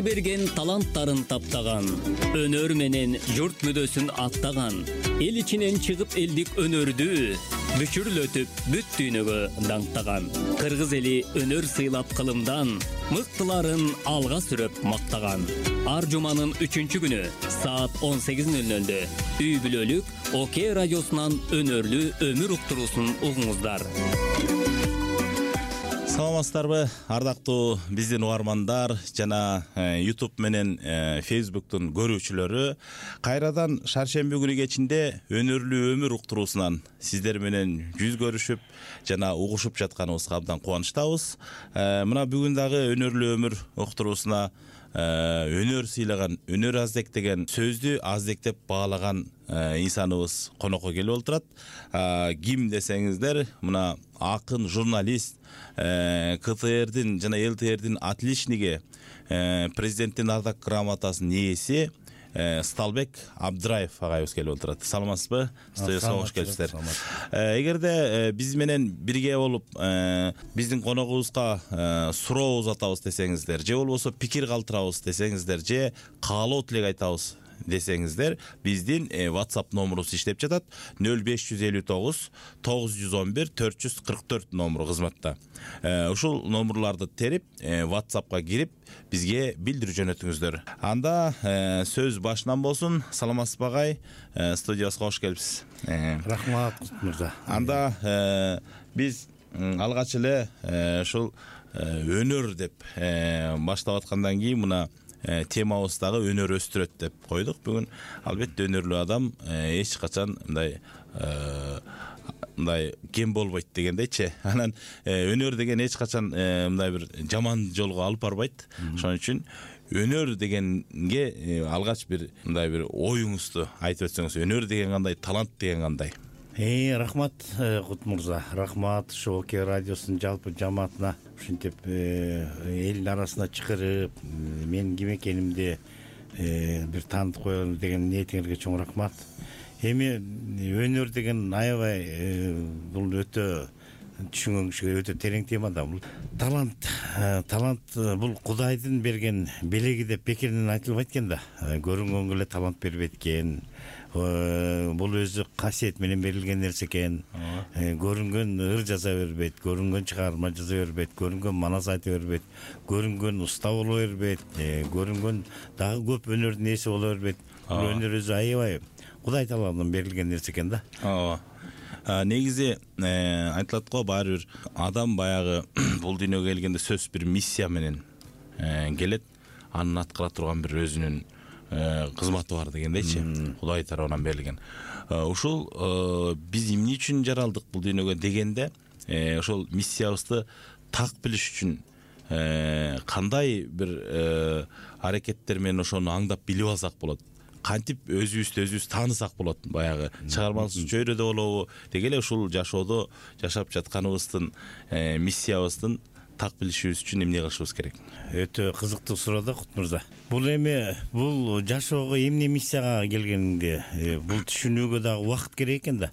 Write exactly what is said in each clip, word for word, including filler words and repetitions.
берген таланттарын таптаган, өнөр менен журт мүдөсүн аттаган, эл ичинен чыгып элдик өнөрдү бүчүрлөтүп бүт дүйнөгө даңктаган. Кыргыз эли өнөр сыйлап кылымдан, мыктыларын алга сүрөп мактаган. Ар жуманын үчүнчү күнү саат он сегиз нөл нөлдө үй бүлөлүк ОК радиосунан өнөрлүү өмүр уктуруусун угуңуздар. Саламатсыздарбы, ардактуу биздин угармандар жана YouTube менен Facebook'тун көрүүчүлөрү. Кайрадан шаршемби күнү кечинде өнөрлүү өмүр уктуруусунан сиздер менен жүз көрүшүп жана угушуп жатканыбызга абдан кубанычтабыз. Мына бүгүн дагы өнөрлүү өмүр уктуруусуна өнөр сыйлаган, өнөр аздек деген сөздү аздек деп баалаган инсаныбыз конокко келип отурат. Ким десеңиздер, мына акын, журналист, КТРдин жана ЛТРдин отличниги, президенттин ардак грамотасынын ээси Сталбек Абдраев агайыбыз келип отурат. Саламатсызбы? Студияга кош келипсиздер. Эгерде биз менен бирге болуп биздин коногубузга суроо узатабыз десеңиздер, же болбосо пикир калтырабыз десеңиздер, же каалоо тилек айтабыз десеңиздер, биздин WhatsApp номерубуз иштеп жатат. нөл беш жүз элүү тогуз тогуз жүз он бир төрт жүз кырк төрт номеру кызматта. Ушул номерларды терип, WhatsAppка кирип, бизге билдирүү жөнөтүңүздөр. Анда сөз башынан болсун. Саламатсызбы агай? Студиябызга кош келипсиз. Рахмат мырза. Анда биз алгач эле ушул өнөр деп баштап аткандан кийин мына темабыз дагы өнөр өстүрөт деп койдук. Бүгүн албетте өнөрлүү адам эч качан мындай мындай кем болбойт дегендейчи. Анан өнөр деген эч качан мындай бир жаман жолго алып барбайт. Ошон үчүн өнөр дегенге алгач бир мындай бир оюңузду айтып өтсөңүз. Өнөр деген кандай, талант деген кандай? Э, рахмат Кут мырза. Рахмат ушу ОК радиосунун жалпы жамаатына ушинтип элдин арасына чакырып, мен ким экенимди бир таанытып коелу деген ниетиңерге чоң рахмат. Эми өнөр деген аябай бул өтө түшүнгөнгө өтө терең тема да. Бул талант, талант бул Кудайдын берген белеги деп бекеринен айтылбайт экен да. Көрүнгөнгө эле талант бербейт экен. Бул өзү касиет менен берилген нерсе экен. Көрүнгөн ыр жаза бербейт, көрүнгөн чыгарма жаза бербейт, көрүнгөн манас айта бербейт, көрүнгөн уста боло бербейт, көрүнгөн дагы көп өнөрдүн ээси боло бербейт. Бул өнөр өзү аябай Кудай тааладан берилген нерсе экен да. Ооба. Негизи айтылат го, баары бир адам баягы бул дүйнөгө келгенде сөз бир миссия менен келет. Анын аткара турган бир өзүнүн кызматы бар дегендейчи. Кудай тарабынан берилген. Ушул биз эмне үчүн жаралдык бул дүйнөгө дегенде, ошол миссиябызды так билиш үчүн кандай бир аракеттер менен ошону аңдап билип алсак болот. Кантип өзүбүздү өзүбүз таанысак болот. Баягы чыгармалык чөйрөдө болобу, деги эле ушул жашоодо жашап жатканыбыздын миссиябыздын так билишибиз үчүн эмне кылышыбыз керек? Өтө кызыктуу суроо да, Кут мырза. Бул эми бул жашоого эмне миссияга келгениңди бул түшүнүүгө дагы убакыт керек экен да.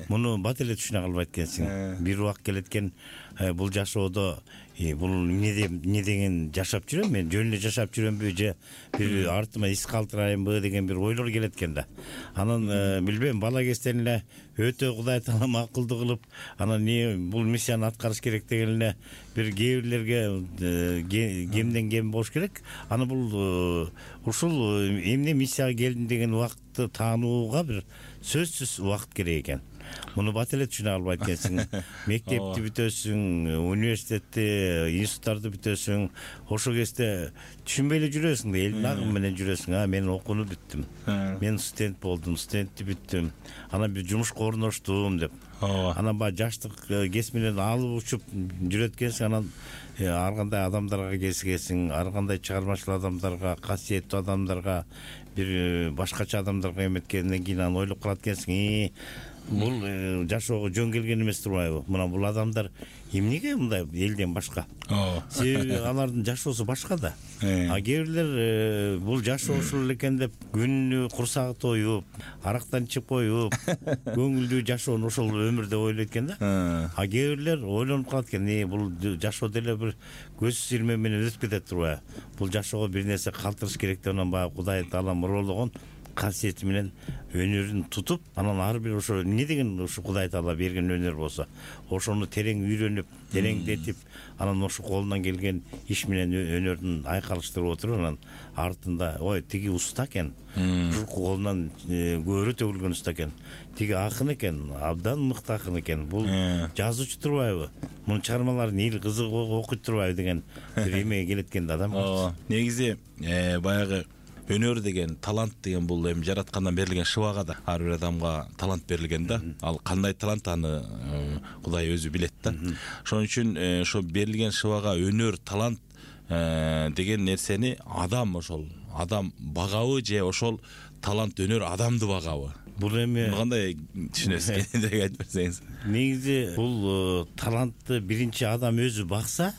Муну бат эле түшүнө калбайт экенсиң. Бир убакыт келет экен, бул жашоодо бул эмне эмне деген жашап жүрөм, мен жөн эле жашап жүрөмбү, же бир артыма из калтырайынбы деген бир ойлор келет экен да. Анан билбейм, бала кезден эле өтө Кудай таалам акылдуу кылып, анан не бул миссияны аткарыш керек деген эле бир кээ бирлерге кемден кем болуш керек. Аны бул ушул эмне миссияга келдим деген убакытты таанууга бир сөзсүз убакыт керек экен. Муну бат эле түшүнө албайт экенсиң. Мектепти бүтөсүң, университетти, институттарды бүтөсүң, ошол кезде түшүнбөй эле жүрөсүң да, элдин агымы менен жүрөсүң. А мен окууну бүттүм. Мен студент болдум, студентти бүттүм. Анан бир жумушка орноштум деп. Анан баягы жаштык кес менен алып учуп жүрөт экенсиң. Анан ар кандай адамдарга кезигесиң, ар кандай чыгармачыл адамдарга, касиеттүү адамдарга, бир башкача адамдарга эметкенден кийин анан ойлоп калат экенсиң. бул жашоого жөн келген эмес турбайбы? Мына бул адамдар эмнеге мындай элден башка? Себеби алардын жашоосу башка да. А кээ бирлер бул жашоо ушул экен деп күнү курсагы тоюп, арактан ичип коюп, көңүлдүү жашоону ошол өмүрдө ойлойт экен да. А кээ бирлер ойлонуп калат экен, э бул жашоо деле бир көз ирме менен өтүп кетет турбайбы? Бул жашоого бир нерсе калтырыш керек деп анан баягы Кудай Таала мурологон касиети менен өнөрүн тутуп, анан ар бир ошо эмне деген ушу Кудай Таала берген өнөр болсо, ошону терең үйрөнүп, тереңдетип, анан ошо колунан келген иш менен өнөрүн айкалыштырып отуруп, анан артында ой тиги уста экен, журку колунан көөрү төгүлгөн уста экен, тиги акын экен, абдан мыкты акын экен, бул жазуучу турбайбы? Мунун чыгармаларын эл кызыгып окуйт турбайбы деген бир эмеге келет экен да адам. Негизи баягы өнөр деген, талант деген бул эми жараткандан берилген шыбага да. Ар бир адамга талант берилген да. Ал кандай талант аны Кудай өзү билет да. Ошон үчүн ошо берилген шыбага өнөр, талант деген нерсени адам ошол адам багабы же ошол талант, өнөр адамды багабы? Бул эми кандай түшүнөсүз? Кененирээк айтып берсеңиз. Негизи бул талантты биринчи адам өзү бакса,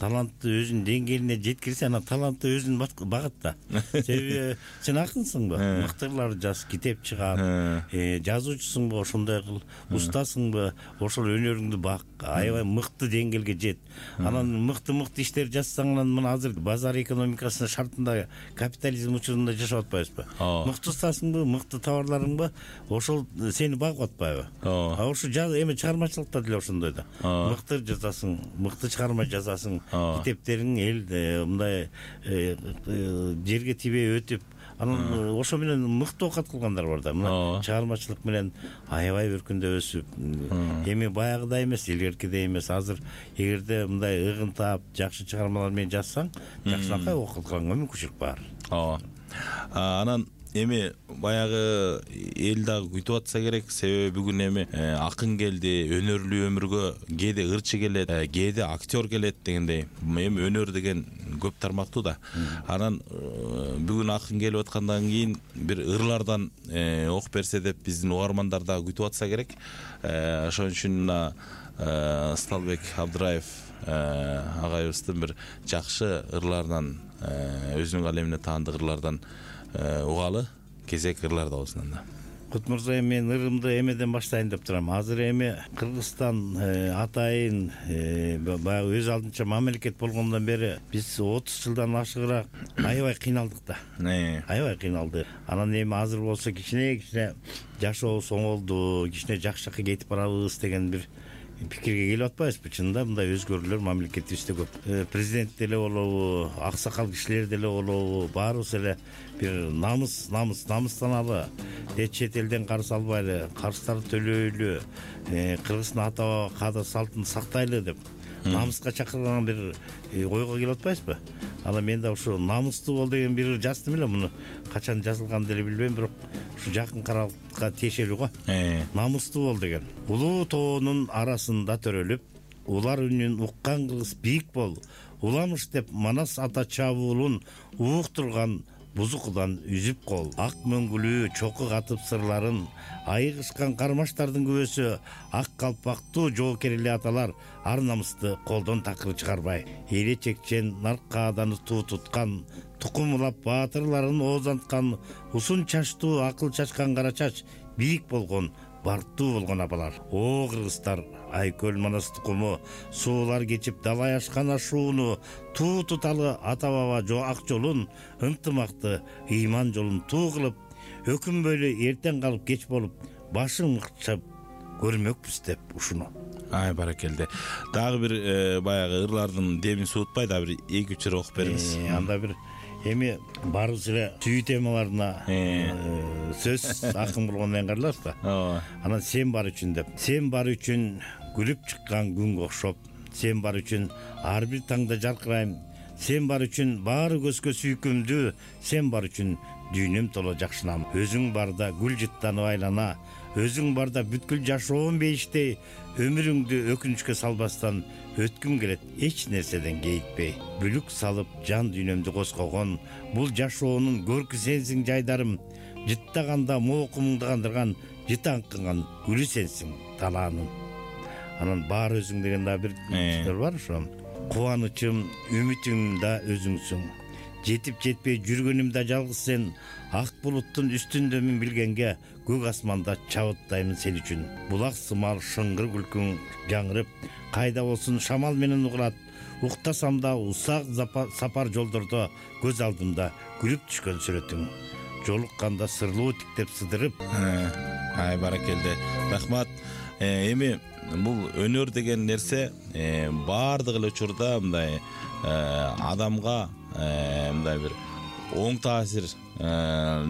талантты өзүнүн деңгээлине жеткирсе, анан талантты өзүн багат да. Себеби сен акынсыңбы? Мыктылар жаз, китеп чыгат, жазуучусуңбу, ошондой кыл, устасыңбы, ошол өнөрүңдү бак, аябай мыкты деңгээлге жет. Анан мыкты-мыкты иштер жазсаң, анан мына азыр базар экономикасынын шартында, капитализм учурунда жашап атпайбызбы? Мыкты устасыңбы, мыкты товарларың ошол сени багып атпайбы? А ошо эми чыгармачылыкта деле ошондой да. Мыкты жазасың, мыкты чыгарма жазасың, китептериң эл мындай жерге тибей өтүп, анан ошо менен мыкты оокат кылгандар бар да. Мына чыгармачылык менен аябай өркүндөп өсүп, эми баягыдай эмес, илгеркидей эмес. Азыр эгерде мындай ыгын таап, жакшы чыгармалар менен жазсаң, жакшынакай окутганга мүмкүнчүлүк бар. Ооба. Анан эми баягы эл дагы күтүп атса керек, себеби бүгүн эми акын келди, өнөрлүү өмүргө кээде ырчы келет, кээде актер келет дегендей. Эми өнөр деген көп тармактуу да. Анан бүгүн акын келип аткандан кийин бир ырлардан окуп берсе деп биздин угармандар дагы күтүп атса керек. Ошон үчүн мына Сталбек Абдыраев агайыбыздын бир жакшы ырларынан, өзүнүн калемине таандык ырлардан угалы, кезек ырларда болсун анда. Кут мырза, мен ырымды эмеден баштайын деп турам. Азыр эми Кыргызстан атайын баягы өз алдынча мамлекет болгондон бери биз отуз жылдан ашыгыраак аябай кыйналдык да. Аябай кыйналды. Анан эми азыр болсо кичине-кичине жашообуз оңолду, кичине жакшы жакка кетип барабыз деген бир пикирге келип атпайбызбы? Чынында мындай өзгөрүүлөр мамлекетибизде көп. Президент деле болобу, аксакал кишилер деле болобу, баарыбыз эле бир намыс, намыс, намыстаналы, чет элден карыз албайлы, карыздарды төлөйлү, Кыргыздын ата баба каада салтын сактайлы деп намыска чакырган бир ойго келип атпайсызбы? Анан мен да ушу намыстуу бол деген бир жаздым эле, муну качан жазылганын деле билбейм, бирок ушу жакын каралыкка тиешелүү го. Намыстуу бол деген. Улуу тоонун арасында төрөлүп, улар үнүн уккан кыргыз бийик бол, уламыш деп Манас ата чабуулун ууктурган бузукудан үзүп кол. Ак мөңгүлүү чоку катып сырларын, айыгышкан кармаштардын күбөсү, ак калпактуу жоокерли аталар ар намысты колдон такыр чыгарбай, эле чекчен наркааданы туу туткан, тукумулап баатырларын оозанткан, узун чачтуу акыл чачкан кара чач, бийик болгон, барктуу болгон абалар. О кыргыздар, Айкөл Манас тукуму, суулар кечип далай ашкан ашууну, туу туталы ата баба жо ак жолун, ынтымакты ыйман жолун туу кылып, өкүнбөйлү эртең калып кеч болуп, башың мыкчап көрмөкпүз деп ушуну. Ай баракелде. Дагы бир баягы ырлардын демин суутпай да бир эки үч ыр окуп бериңиз. Анда бир эми баарыбыз эле сүйүү темаларына сөз акын болгондон кыйын да. Анан сен бар үчүн деп. Сен бар үчүн күлүп чыккан күнгө окшоп, сен бар үчүн ар бир таңда жаркырайм, сен бар үчүн баары көзгө сүйкүмдүү, сен бар үчүн дүйнөм толо жакшынам. Өзүң барда гүл жыттанып айлана, өзүң барда бүткүл жашоом бейиштей, өмүрүңдү өкүнүчкө салбастан өткүм келет эч нерседен кейитпей. Бүлүк салып жан дүйнөмдү коскогон, бул жашоонун көркү сенсиң жайдарым, жыттаганда моокумуңду кандырган жытаңкыган гүлү сенсиң талаанын. Анан баар өзүң деген да бир сөз бар ошо. Кубанычым, үмүтүм да өзүңсүң. Жетип жетпей жүргөнүм да жалгыз сен. Ак булуттун үстүндөмүн билгенге, көк асманда чабыттаймын сен үчүн. Булак сымал шыңгыр күлкүң жаңырып, кайда болсун шамал менен угулат. Уктасам да усак сапар жолдордо көз алдымда күлүп түшкөн сүрөтүң. Жолукканда сырлуу тиктеп сыдырып. Ай баракелде. Рахмат. Эми бул өнөр деген нерсе баардык эле учурда мындай адамга мындай бир оң таасир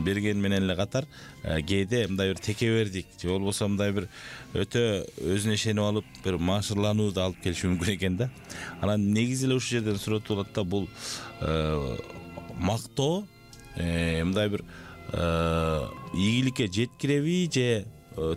берген менен эле катар кээде мындай бир текебердик же болбосо мындай бир өтө өзүнө ишенип алып бир машырланууду алып келиши мүмкүн экен да. Анан негизи эле ушул жерден суроо туулат да, бул мактоо мындай бир ийгиликке жеткиреби же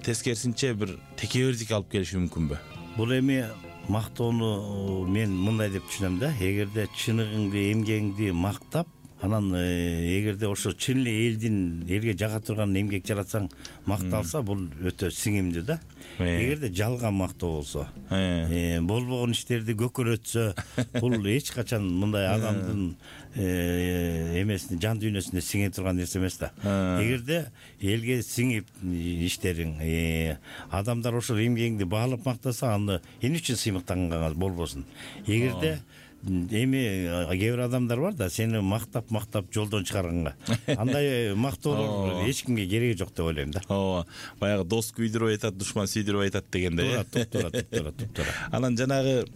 тескерисинче бир текебердикке алып келиши мүмкүнбү? Бул эми мактоону мен мындай деп түшүнөм да. Эгерде чыныгыңды, эмгегиңди мактап, анан эгерде ошо чын эле элдин элге жага турган эмгек жаратсаң макталса, бул өтө сиңимдүү да. Эгерде жалган мактоо болсо, болбогон иштерди көкөрөтсө, бул эч качан мындай адамдын эмесине, жан дүйнөсүнө сиңе турган нерсе эмес да. Эгерде элге сиңип иштериң, адамдар ошол эмгегиңди баалап мактаса, аны эмне үчүн сыймыктанганга болбосун. Эгерде эми кээ бир адамдар бар да, сени мактап мактап жолдон чыгарганга. Андай мактоолор эч кимге кереги жок деп ойлойм да. Ооба, баягы дос күйдүрүп айтат, душман сүйдүрүп айтат дегендей. Туура, туура, туура, туура. Анан жанагы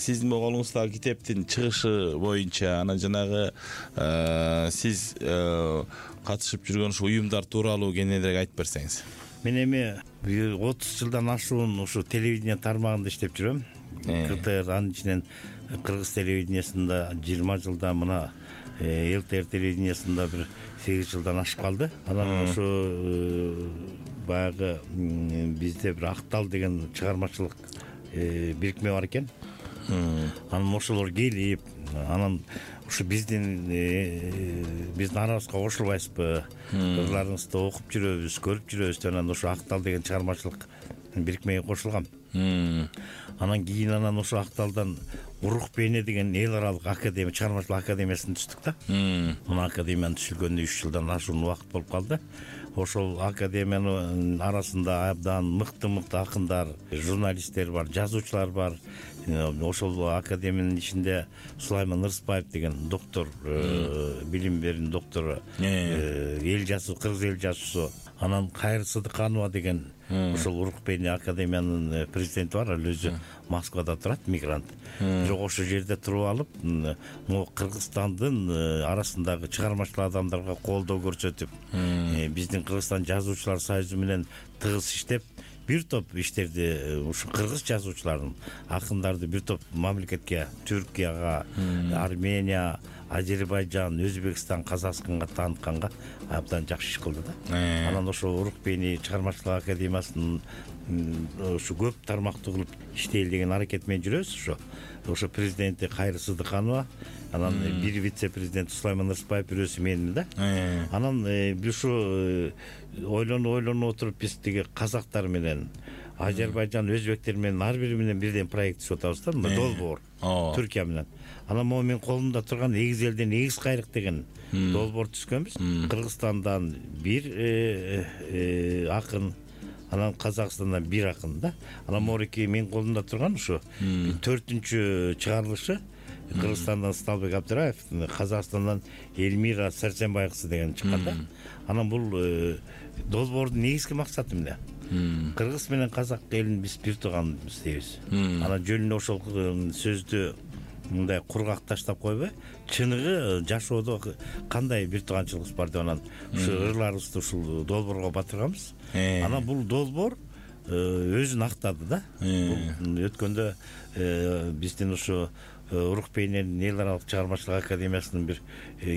сиздин колуңуздагы китептин чыгышы боюнча, анан жанагы сиз катышып жүргөн ушу уюмдар тууралуу кененирээк айтып берсеңиз. Мен эми отуз жылдан ашуун ушу телевидение тармагында иштеп жүрөм. КТР, анын ичинен Кыргыз телевидениясында жыйырма жылда, мына ЛТР телевидениясында бир сегиз жылдан ашып калды. Анан ошо баягы бизде бир Актал деген чыгармачылык бирикме бар экен. Анан ошолор келип, анан ушу биздин биздин арабызга кошулбайсызбы, кызларыңызды окуп жүрөбүз, көрүп жүрөбүз деп анан ошо Актал деген чыгармачылык бирикмеге кошулгам. Анан кийин анан ошо Акталдан Урук Бейне деген эл аралык академия, чыгармачылык академиясына түштүк да. Мына академияны түшүлгөнүнө үч жылдан ашуун убакыт болуп калды. Ошол академиянын арасында абдан мыкты-мыкты акындар, журналисттер бар, жазуучулар бар. Ошол академиянын ичинде Сулайман Ырысбаев деген доктор, билим берүүнүн доктору, эл жазуу, кыргыз эл жазуусу. Анан Кайыр Сыдыканова деген ошол Урук Бейне академиянын президенти бар, ал өзү Москвада турат, мигрант. Бирок ошол жерде туруп алып, могу Кыргызстандын арасындагы чыгармачыл адамдарга колдоо көрсөтүп, биздин Кыргызстан жазуучулар союзу менен тыгыз иштеп, бир топ иштерди ушу кыргыз жазуучуларын, акындарды бир топ мамлекетке, Түркияга, Армения, Азербайжан, Өзбекстан, Казакстанга таанытканга абдан жакшы иш кылды да. Анан ошо Урук Бейне чыгармачылык академиясынын ушу көп тармактуу кылып иштейли деген аракет менен жүрөбүз. Ошо ошо президенти Кайыр Сыдыканова, анан бир вице-президент Сулайман Ырысбаев, бирөөсү менмин да. Анан биз ушу ойлонуп ойлонуп отуруп, биз тиги казактар менен, Азербайжан, өзбектер менен ар бири менен бирден проект түзүп атабыз да, долбоор Түркия менен. Анан могу мен колумда турган эгиз элден эгиз кайрык деген долбоор түзгөнбүз. Кыргызстандан бир акын, анан Казакстандан бир акын да. Анан могуки мен колумда турган ушу төртүнчү чыгарылышы Кыргызстандан Сталбек Абдыраев, Казакстандан Эльмира Сәрсенбай кызы деген чыккан да. Анан бул долбоордун негизги максаты эмне? Кыргыз менен казак элин биз бир тууганбыз дейбиз. Анан жөнүнө ошол сөздү мындай кургак таштап койбой, чыныгы жашоодо кандай бир тууганчылыгыбыз бар деп анан ушу ырларыбызды ушул долбоорго батырганбыз. Анан бул долбоор өзүн актады да. Бул өткөндө биздин ушу Урук Бейненин эл аралык чыгармачылык академиясынын бир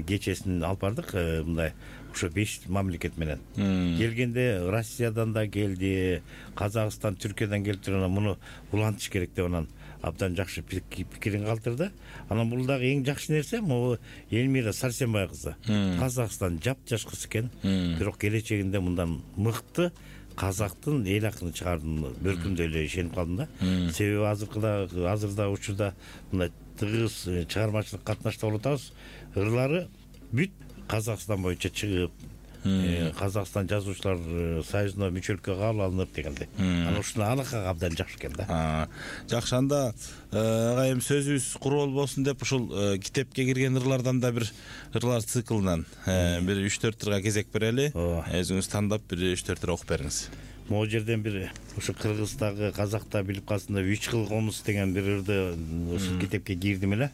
кечесин алып бардык, мындай ушу беш мамлекет менен. Келгенде Россиядан да келди, Казакстан, Түркиядан келип турган, муну улантыш керек деп анан абдан жакшы пикирин калтырды. Анан бул дагы эң жакшы нерсе, могу Эльмира Сәрсенбай кызы. Казакстан жапжаш кыз экен, бирок келечегинде мындан мыкты казактын эл акынын чыгаардым бөлкүмдө эле ишенип калдым да. Себеби азыркыда азырда учурда мындай тыгыз чыгармачылык катнашта болуп атабыз. Ырлары бүт Казакстан боюнча чыгып, Казакстан жазуучулар союзуна мүчөлүккө кабыл алынып дегенде. Анан ушуну алакага абдан жакшы экен да. Жакшы, анда агайым сөзүбүз куру болбосун деп ушул китепке кирген ырлардан да бир ырлар циклынан бир үч төрт ырга кезек берели. Өзүңүз тандап бир үч төрт ыр окуп бериңиз. Могу жерден бир ушу кыргыздагы казакта билип калсында үч кыл комуз деген бир ырды ушул китепке кирдим эле.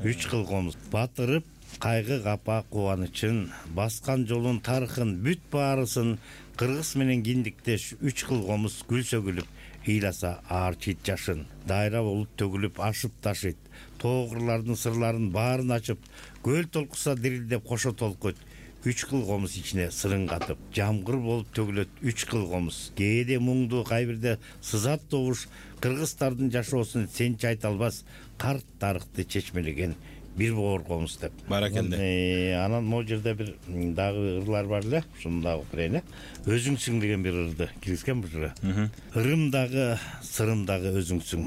Үч кыл комуз батырып кайгы капа кубанычын баскан жолун тарыхын бүт баарысын кыргыз менен киндиктеш үч кыл комуз гүл сөгүлүп ыйласа аар чит жашын дайра болуп төгүлүп ашып ташыйт тоогурлардын сырларын баарын ачып көл толкуса дирилдеп кошо толкойт үч кыл комуз ичине сырын катып жамгыр болуп төгүлөт үч кыл комуз кээде муңду кайбирде сызат добуш кыргыздардын жашоосун сенчи айта албас карт тарыхты чечмелеген бир боор комуз деп. Баракелде. Анан могу жерде бир дагы ырлар бар эле, ушуну дагы окуп берейин. Өзүңсүң деген бир ырды киргизген бул жерге. Ырымдагы, сырымдагы өзүңсүң.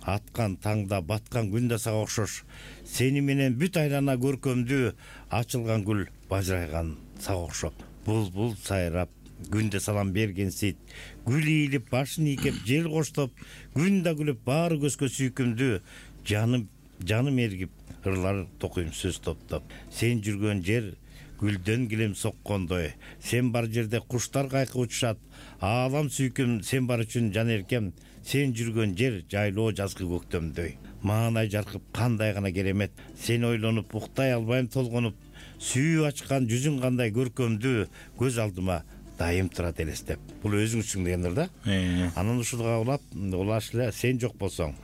Аткан таңда, баткан күндө сага окшош. Сени менен бүт айлана көркөмдүү, ачылган гүл бажырайган сага окшоп. Булбул сайрап, күндө салам берген сыйт. Гүл ийилип, башын ийкеп, жел коштоп, күн да күлүп, баары көзгө сүйкүмдүү. Жаным, жаным эргип, ырлар токуйм сөз топтоп. Сен жүргөн жер гүлдөн килем соккондой. Сен бар жерде куштар кайкы учушат. Аалам сүйкүм сен бар үчүн жан эркем. Сен жүргөн жер жайлоо жазгы көктөмдөй. Маанай жаркып кандай гана керемет. Сен ойлонуп уктай албайм толгонуп. Сүйүү ачкан жүзүң кандай көркөмдүү. Көз алдыма дайым турат элестеп. Бул өзүңсүң дегендер да. Анан ушуга улап, улаш эле сен жок болсоң.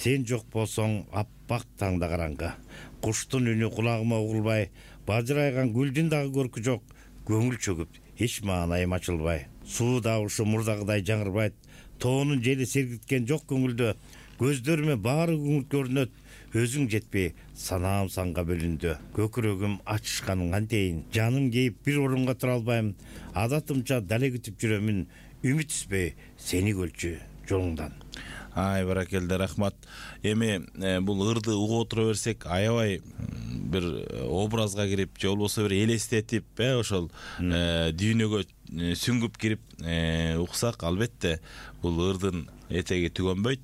Сен жок болсоң аппак таңда караңгы. Куштун үнү кулагыма угулбай, бажырайган гүлдүн дагы көркү жок. Көңүл чөгүп, эч маанайым ачылбай. Суу дабышы мурдагыдай жаңырбайт. Тоонун жели сергиткен жок көңүлдө. Көздөрүмө баары күңүл көрүнөт. Өзүң жетпей, санаам санга бөлүндү. Көкүрөгүм ачышканың кантейин. Жаным кейип бир орунга тура албайм. Адатымча дале күтүп жүрөмүн. Үмүт үзбөй, сени көлчү жолуңдан. Ай, баракелде, рахмат. Эми бул ырды угуп отура берсек, аябай бир образга кирип, же болбосо бир элестетип, э ошол дүйнөгө сүңгүп кирип уксак, албетте бул ырдын этеги түгөнбөйт.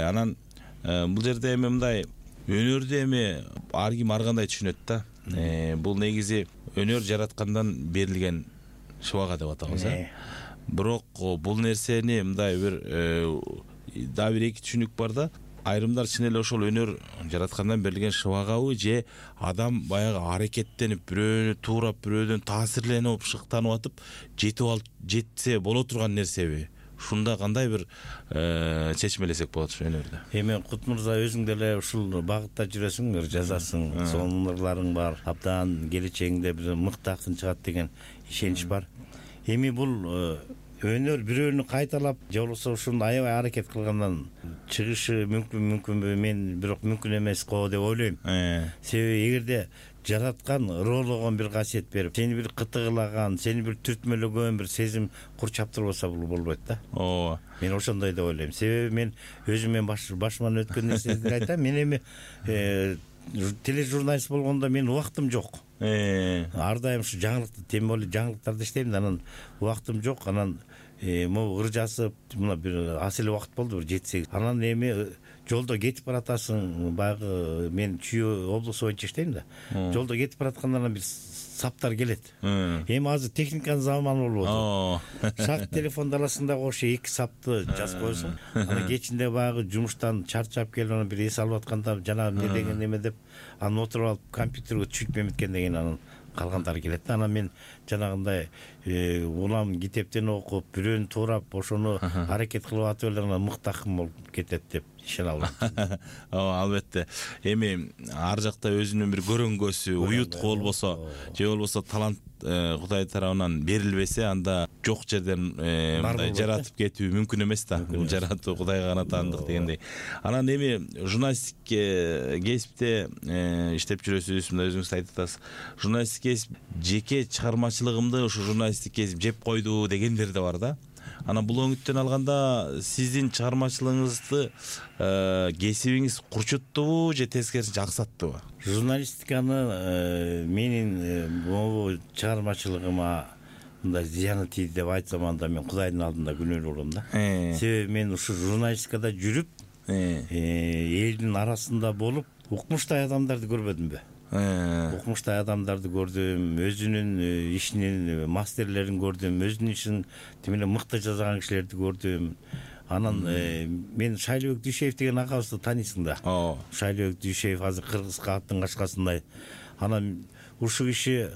Анан бул жерде эми мындай өнөрдү эми ар ким ар кандай түшүнөт да. Бул негизи өнөр жараткандан берилген шыбага деп атабыз, э. Бирок бул нерсени мындай бир да бир эки түшүнүк бар да. Айрымдар чын эле ошол өнөр жараткандан берилген шыбагабы, же адам баягы аракеттенип, бирөөнү туурап, бирөөдөн таасирленип, шыктанып атып, жетип алып жетсе боло турган нерсеби? Ушунда кандай бир чечмелесек болот ушу өнөрдө? Эми Кут мырза, өзүң деле ушул багытта жүрөсүң, ыр жазасың, сонун ырларың бар. Абдан келечегиңде бир мыкты акын чыгат деген ишенич бар. Эми бул өнөр бирөөнү кайталап, же болбосо ушуну аябай аракет кылгандан чыгышы мүмкүн мүмкүнбү? Мен бирок мүмкүн эмес го деп ойлойм. Себеби эгерде жараткан ыроологон бир касиет берип, сени бир кытыгылаган, сени бир түртмөлөгөн бир сезим курчап турбаса, бул болбойт да. Ооба. Мен ошондой деп ойлойм. Себеби мен өзүм башыман өткөн нерселерди айтам. Мен эми тележурналист болгондо мен убактым жок. Ар дайым ушу жаңылыкты, тем более жаңылыктарды иштейм да, анан убактым жок. Анан могу ыр жазып, мына бир аз эле убакыт болду, бир жети сегиз. Анан эми жолдо кетип баратасың, баягы мен Чүй облусу боюнча иштейм да. Жолдо кетип баратканда бир саптар келет. Эми азыр техниканын заманы болуп атат. Шак телефон даласында кошо эки сапты жазып коесуң. Анан кечинде баягы жумуштан чарчап келип, анан бир эс алып атканда жана эмне деген эме деп, анан отуруп алып компьютерге түшүп эметкен деген анан калгандары келет да. Анан мен жанагындай улам китептен окуп, бирөөнү туурап, ошону аракет кылып атып эле анан мыкты акын болуп кетет деп ишене албайт. Ооба, албетте. Эми ар жакта өзүнүн бир көрөнгөсү, уютку болбосо, же болбосо талант Кудай тарабынан берилбесе, анда жок жерден мындай жаратып кетүү мүмкүн эмес да. Бул жаратуу Кудайга гана таандык дегендей. Анан эми журналисттик кесипте иштеп жүрөсүз, мындай өзүңүз айтып атасыз. Журналисттик кесип жеке чыгармачылыгымды ушу журналисттик кесип жеп койду дегендер да бар да. Анан бул оңүттөн алганда сиздин чыгармачылыгыңызды кесибиңиз курчуттубу же тескерисинче аксаттыбы? Журналистиканы менин могу чыгармачылыгыма мындай зыяны тийди деп айтсам, анда мен Кудайдын алдында күнөөлүү болом да. Себеби мен ушу журналистикада жүрүп, элдин арасында болуп, укмуштай адамдарды көрбөдүмбү? Укмуштай адамдарды көрдүм, өзүнүн ишинин мастерлерин көрдүм, өзүнүн ишин тим эле мыкты жасаган кишилерди көрдүм. Анан мен Шайлыбек Дүйшеев деген акабызды тааныйсың да. Шайлыбек Дүйшеев азыр Кыргыз кааттын кашкасындай. Анан ушул киши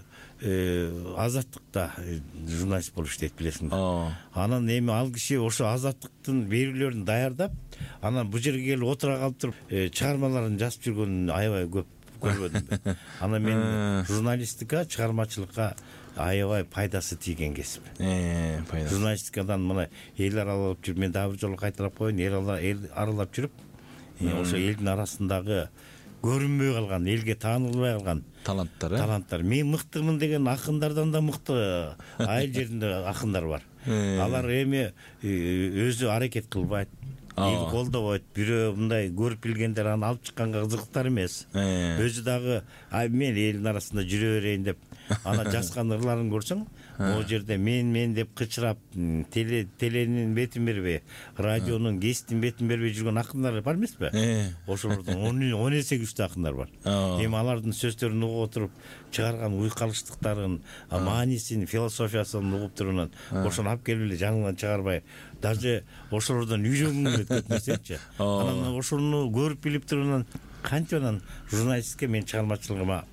Азаттыкта журналист болуп иштейт, билесиң да. Анан эми ал киши ошо Азаттыктын берүүлөрүн даярдап, анан бул жерге келип отура калып туруп чыгармаларын жазып жүргөнүн аябай көп көрбөдүм. Анан мен журналистика, чыгармачылыкка аябай пайдасы тийген кесип. Журналистикадан мына эл аралап жүрүп, мен дагы бир жолу кайталап коеюн, эл аралап жүрүп, ошо элдин арасындагы көрүнбөй калган, элге таанылбай калган таланттар, таланттар. Мен мыктымын деген акындардан да мыкты айыл жеринде акындар бар. Алар эми өзү аракет кылбайт, эл колдобойт, бирөө мындай көрүп билгендер аны алып чыкканга кызыктар эмес. Өзү дагы мен элдин арасында жүрө берейин деп ана жазган ырларын көрсөң, могу жерде мен мен деп кычырап, теленин бетин бербей, радионун геситтин бетин бербей жүргөн акындар бар эмеспи? Ошолордун он эсе күчтүү акындар бар. Эми алардын сөздөрүн угуп отуруп, чыгарган уйкалыштыктарын, маанисин, философиясын угуп туруп, ошону алып келип эле жаныңан чыгарбай, даже ошолордон үйрөнгүң келет көп нерсечи. Анан ошону көрүп билип туруп, кантип анан журналистке мен чыгармачылыгыма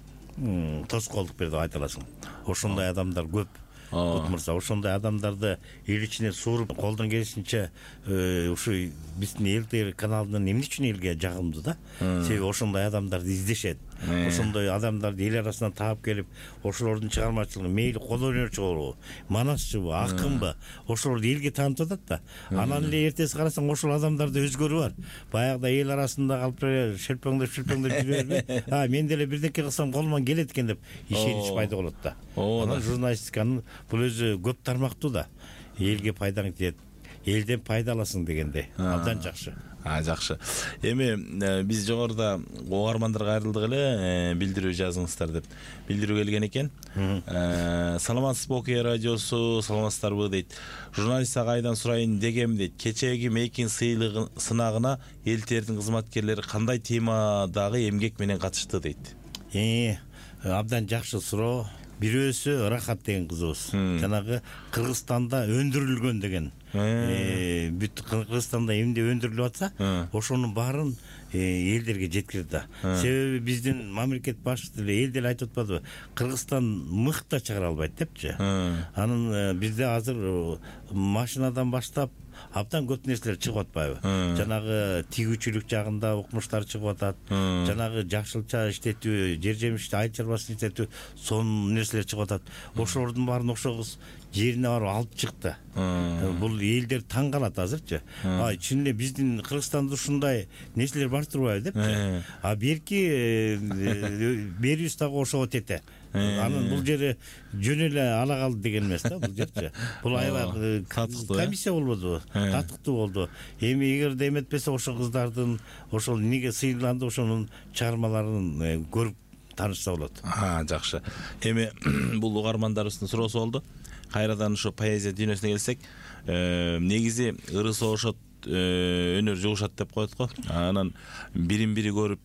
тоскоолдук берди деп айта аласың. Ошондой адамдар көп. Кутмурса, ошондой адамдарды эл ичине сууруп, колдон келишинче ушу биздин эл тэ вэ каналынын эмне үчүн элге жагымдуу да? Себеби ошондой адамдарды издешет. Ошондой адамдарды эл арасынан таап келип, ошолордун чыгармачылыгы мейли кол өнөрчү болобу, манасчыбы, акынбы, ошолорду элге таанытып атат да. Анан эле эртеси карасаң, ошол адамдарда өзгөрүү бар. Баягыда эл арасында калып шелпеңдеп шелпеңдеп жүрө бербей, а мен деле бирдеке кылсам колуман келет экен деп ишенич пайда болот да. Анан журналистиканын бул өзү көп тармактуу да. Элге пайдаң тиет, элден пайда аласың дегендей. Абдан жакшы. А, жакшы. Эми биз жогоруда угармандарга кайрылдык эле, билдирүү жазыңыздар деп билдирүү келген экен. Саламатсызбы Окуя радиосу, саламатсыздарбы дейт. Журналист агайдан сурайын дегем дейт. Кечеги мейкин сынагына эл тердин кызматкерлери кандай темадагы эмгек менен катышты дейт. Э, абдан жакшы суроо. Бирөөсү Рахат деген кызыбыз. Жанагы Кыргызстанда өндүрүлгөн деген. Бүт Кыргызстанда эмне өндүрүлүп атса, ошонун баарын элдерге жеткирди да. Себеби биздин мамлекет башчысы деле эл деле айтып атпадыбы? Кыргызстан мыкта чыгара албайт депчи. Анын бизде азыр машинадан баштап абдан көп нерселер чыгып атпайбы? Жанагы тигүүчүлүк жагында укмуштар чыгып атат. Жанагы жашылча иштетүү, жер жемишти айыл чарбасын иштетүү, сонун нерселер чыгып атат. Ошолордун баарын ошол кыз жерине барып алып чыкты. Бул элдер таң калат азырчы. А чын эле биздин Кыргызстанда ушундай нерселер бар турбайбы депчи. А берки берүүбүз дагы ошого тете. Анын бул жери жөн эле ала калды деген эмес да, бул жерчи. Бул аябай комиссия болбодубу? Татыктуу болду. Эми эгерде эметпесе ошол кыздардын ошол эмнеге сыйланды, ошонун чыгармаларын көрүп таанышса болот. А, жакшы. Эми бул угармандарыбыздын суроосу болду. Кайрадан ушу поэзия дүйнөсүнө келсек, негизи ыры согушот, өнөр жугушат деп коет го. Анан бирин бири көрүп,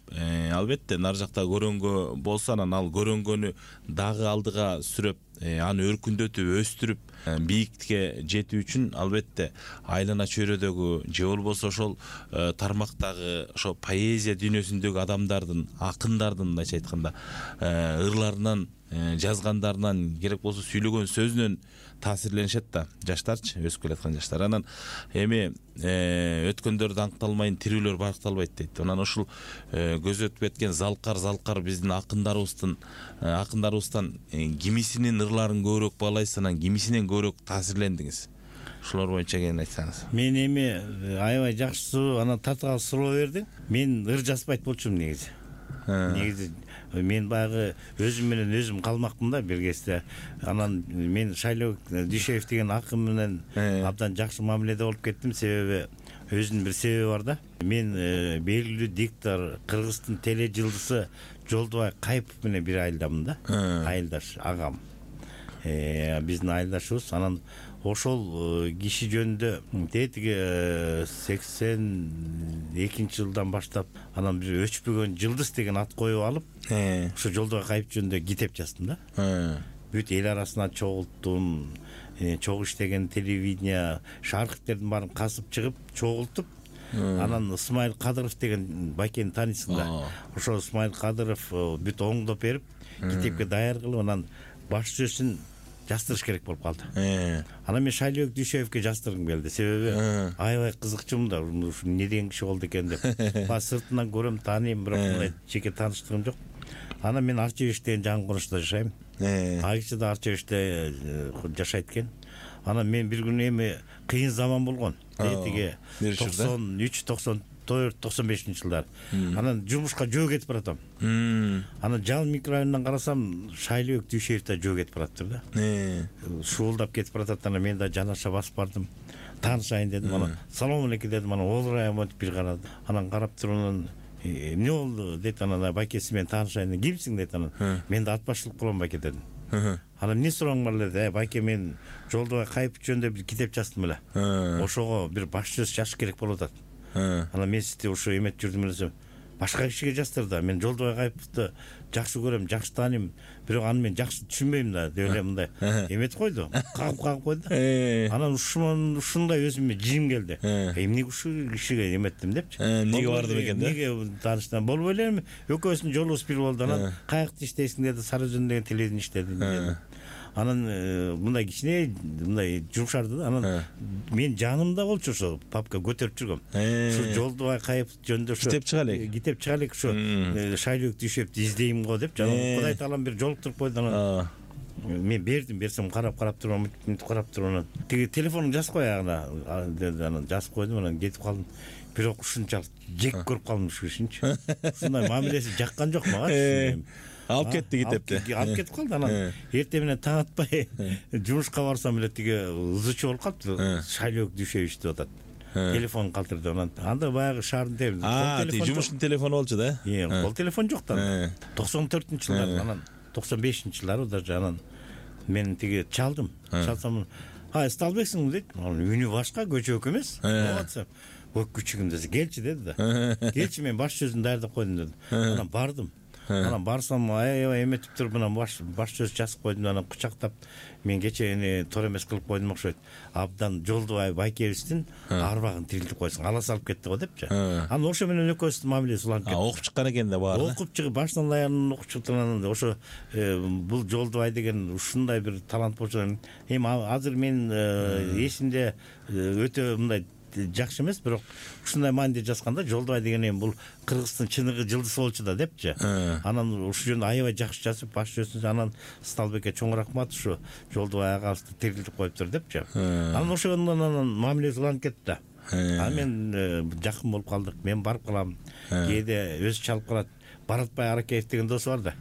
албетте нар жакта көрөнгө болсо, анан ал көрөнгөнү дагы алдыга сүрөп, аны өркүндөтүп, өстүрүп, бийиктикке жетүү үчүн албетте айлана чөйрөдөгү же болбосо ошол тармактагы ошо поэзия дүйнөсүндөгү адамдардын, акындардын мындайча айтканда ырларынан, жазгандарынан, керек болсо сүйлөгөн сөзүнөн таасирленишет да жаштарчы, өсүп келаткан жаштар. Анан эми өткөндөр даңкталмайын, тирүүлөр баркталбайт дейт. Анан ушул көзөтүп кеткен залкар залкар биздин акындарыбыздын акындарыбыздан кимисинин ырларын көбүрөөк баалайсыз, анан кимисинен көбүрөөк таасирлендиңиз? Ушулар боюнча кene айтсаңыз. Мен эми аябай жакшы анан татыгал суроо бердиң. Мен ыр жазбайт болчумун негизи. Негизи мен баягы өзүм менен өзүм калмакмын да бир кезде. Анан мен Шайлоок Дүйшеев деген акын менен абдан жакшы мамиледе болуп кеттим. Себеби өзүнүн бир себеби бар да. Мен белгилүү диктор, Кыргыздын теле жылдызы Жолдубай Кайыпов менен бир айылдамын да. Айылдаш агам. Биздин айылдашыбыз. Анан ошол киши жөнүндө тетиги сексен экинчи жылдан баштап анан бир өчпөгөн жылдыз деген ат коюп алып, ошо Жолдубай Кайыпов жөнүндө китеп жаздым да. Бүт эл арасына чогулттум, чогуу иштеген телевидение, архивтердин баарын казып чыгып, чогултуп, анан Ысмайыл Кадыров деген байкени таанысың да. Ошо Ысмайыл Кадыров бүт оңдоп берип, китепке даяр кылып, анан баш сөзүн жаздырыш керек болуп калды. Анан мен Шайлоок Дүйшеевке жаздыргым келди. Себеби аябай кызыкчумун да, ушу эмне деген киши болду экен деп. Ба сыртынан көрөм, тааныйм, бирок мындай жеке тааныштыгым жок. Анан мен Арчебеш деген жаңы конушта жашайм. Айгычы да Арчебеште жашайт экен. Анан мен бир күнү эми кыйын заман болгон. Тетиги токсон үч, токсон төрт, токсон бешинчи жылдар. Анан жумушка жөө кетип баратам. Анан Жал микрорайонунан карасам Шайлоок Дүйшеев да жөө кетип бараттыр да. Шуулдап кетип баратат. Анан мен да жанаша басып бардым. Таанышайын дедим. Анан салам алейкум дедим. Анан олурайым деп бир карады. Анан карап туруп анан эмне болду дейт. Анан байкеси мен таанышайын. Кимсиң дейт. Анан мен да ат башчылык кылам байке дедим. Анан эмне сурооң бар эле деди. Байке мен Жолдубай Кайыпов жөнүндө бир китеп жаздым эле. Ошого бир баш сөз жазыш керек болуп атат. Анан мен сизди ошо эметип жүрдүм эле. Башка кишиге жаздыр да. Мен Жолдубай Кайыповду жакшы көрөм, жакшы тааныйм. Бирок аны мен жакшы түшүнбөйм да. Деп эле мындай эметип койду. Кагып кагып койду. Анан ушун ушундай өзүмө жим келди. Эмне ушул кишиге эметтим депчи. Эмнеге бардым экен да? Эмнеге тааныштан болбой элем. Экөөбүздүн жолубуз бир болду. Анан каякта иштейсиң деди. Сары Өзөн деген телевидение иштедим деди. Анан мындай кичине мындай жумшарды да. Анан мен жанымда болчу ошо папка көтөрүп жүргөм. Ушу Жолдубай Кайыпов жөнүндө ошо китеп чыга элек. Китеп чыга элек ошо Шайлоок Дүйшеевди издейм го деп жана Кудай таалам бир жолуктуруп койду. Анан мен бердим, берсем карап карап туруп, мынтип карап туруп анан тиги телефонуңду жазып кой ягына деди. Анан жазып койдум. Анан кетип калдым. Бирок ушунчалык жек көрүп калдым ушу кишиничи. Ушундай мамилеси жаккан жок мага. Алып кетти китепти. Алып кетип калды. Анан эртең менен таң атпай жумушка барсам эле тиги ызычы болуп калыптыр. Шайлоок Дүйшеевич деп атат. Телефон калтырды. Анан анда баягы шаардын телефону. А, тиги жумуштун телефону болчу да. Э, кол телефон жок да. токсон төртүнчү жылдар, анан токсон бешинчи жылдары даже. Анан мен тиги чалдым. Чалсам, "А, Сталбексиң" дейт. Анан үнү башка, көчөк эмес. Болатса, "Ой, күчүгүм" десе, "Келчи" деди да. "Келчи, мен баш сөзүн даярдап койдум" деди. Анан бардым. Анан барсам аябай эметип туруп анан баш баш сөз жазып койдум. Анан кучактап мен кечени тор эмес кылып койдум окшойт. Абдан Жолдубай байкебиздин арбагын тирилтип койсуң, ала салып кетти го депчи. Анан ошо менен экөөбүздүн мамилебиз уланып кетти. Окуп чыккан экен да баары. Окуп чыгып башынан аягынан окуп чыкты. Анан ошо бул Жолдубай деген ушундай бир талант болчу. Эми азыр мен эсимде өтө мындай жакшы эмес, бирок ушундай мааниде жазганда Жолдубай деген эми бул Кыргыздын чыныгы жылдызы болчу да депчи. Анан ушул жөнүндө аябай жакшы жазып, баш сөзүн анан Сталбекке чоң рахмат, ушу Жолдубай агабызды тирилтип коюптур депчи. Анан ошондон анан мамилеси уланып кетти да. Анан мен жакын болуп калдык. Мен барып калам. Кээде өзү чалып калат. Баратбай Аракеев деген досу бар да.